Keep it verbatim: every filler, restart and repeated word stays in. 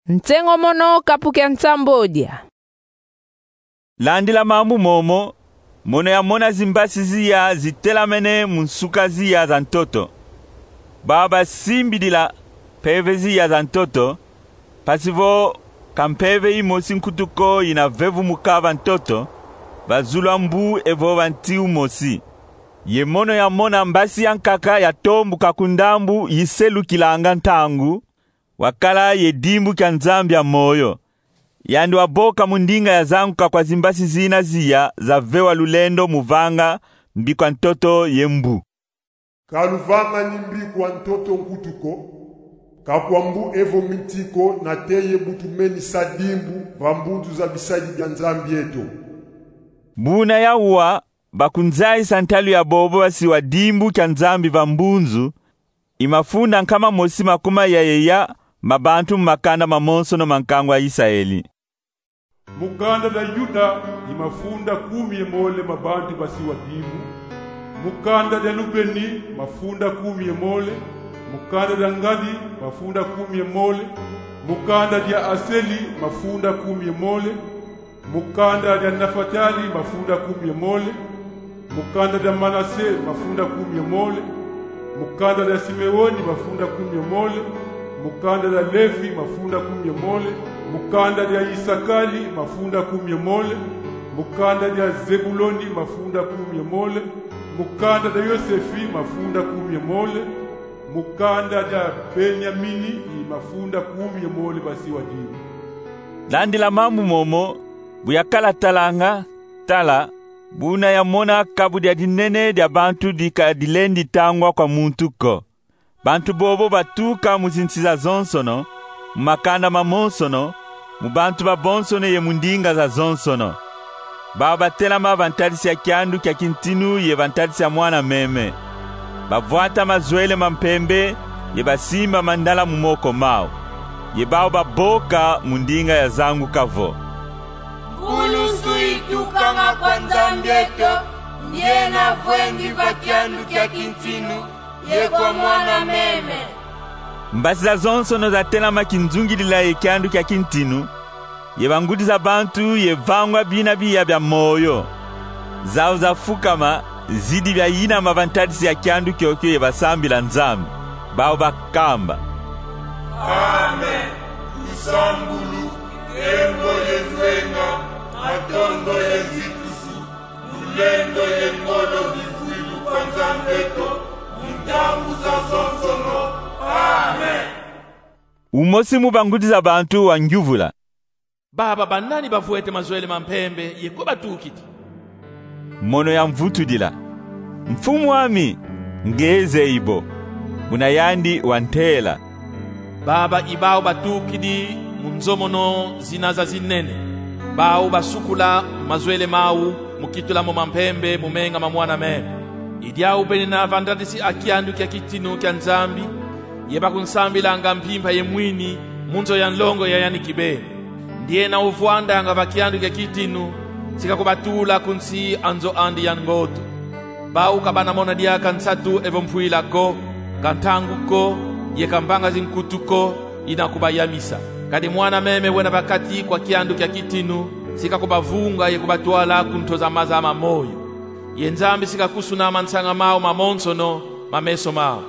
Nsengo mono kapu kia nsambodia. Landila mambu momo, mono yamona zimbasi ziya zitelamene mu nsuka ziya za ntoto. Bau basimbidila mpeve ziya za ntoto, mpasi vo ka mpeve imosi nkutu ko yina vevumuka va ntoto, va zulu a mbu evo va nti umosi. Ye mono yamona mbasi yankaka yatombuka ku ndambu yiselukilanga ntangu, wakala ye dimbu kia Nzambi ya moyo. Yandi waboka mu ndinga ya zanguka kwa zimbasi zina ziya zavewa lulendo mu vanga mbikwa ntoto ye mbu. Ka luvangani mbikwa ntoto nkutu ko, ka kwa mbu evo miti ko, nate ye bu tumenisa dimbu va mbunzu za bisadi bia Nzambi eto. Buna yawa, bakunzayisa ntalu ya bobo basiwa dimbu kia Nzambi va mbunzu, i mafunda nkama mosi makuma yayeya ma bantu mu makanda mamonsono ma nkangu a Isaeli. Mu kanda dia Yuda i mafunda kumi ye mole ma bantu basiwa dimbu. Mu kanda dia Lubeni mafunda kumi ye mole. Mu kanda dia Ngadi mafunda kumi ye mole. Mu kanda dia Aseli mafunda kumi ye mole. Mu kanda dia Nafatali mafunda kumi ye mole. Mu kanda dia Manase mafunda kumi ye mole. Mu kanda dia Simeoni mafunda kumi ye mole. Mu kanda dia Levi mafunda kumi ye mole. Mu kanda dia Isakali mafunda kumi ye mole. Mu kanda dia Zebuloni mafunda kumi ye mole. Mu kanda dia Yosefi mafunda kumi ye mole. Mu kanda dia Benyamini i mafunda kumi ye mole basiwa dimbu. Landila mambu momo, bu yakala talanga, tala, buna yamona kabu dia dinene dia bantu dika dilendi tangwa kwa muntu ko. Bantu bobo batuka mu zinsi zazonsono, mu makanda mamonsono, mu bantu babonsono ye mu ndinga zazonsono. Bau batelama va ntadisi ya kiandu kia kintinu ye va ntadisi ya mwana meme. Bavwata mazwele ma mpembe ye basimba mandala mu moko mau. Ye bau baboka mu ndinga ya zanguka vo: Nkulusu itukanga kwa Nzambi eto, ndiena vwendi va kiandu kia kintinu ye kwa mwana meme. Mbasi zazonsono zatelama kinzungidila ye kiandu kia kintinu, ye bangudi za bantu ye vangwa bina biya bia moyo. Zau zafukama, zidi bia yinama va ntadisi ya kiandu kiokio ye basambila Nzambi. Bau bakamba: Amen. Lusambulu, nkembo ye nzenga, matondo ye nzitusu, lulendo ye ngolo bivwilu kwa Nzambi eto, mu ntangu zazonsono. Amen. Umosi mu bangudi za bantu wangyuvula: Baba banani bavwete mazwele ma mpembe ye ko batukidi? Mono yamvutudila: Mfumu ami, nge zeyi bo. Buna yandi wantela: Baba i bau batukidi mu nzo mono zina zazinene. Bau basukula mazwele mau mu kitula mo mampembe mu menga ma mwana meme. I diau benina va ntadisi a kiandu kia kitinu kia Nzambi, ye bakunsambilanga mpimpa ye mwini mu nzo ya nlongo ya yandi kibeni. Ndiena uvwandanga va kiandu kia kitinu, si kakubatula ku nsi a nzo andi ya ngoto. Bau ka bana mona diaka nsatu evo mpwila ko, ka ntangu ko, ye ka mbanga zinkutu ko, ina kubayamisa. Kadi mwana meme wena va kati kwa kiandu kia kitinu, si kakubavunga ye kubatwala ku nto za maza ma moyo. Ye Nzambi si kakusunama nsanga mau mamonsono ma meso mau.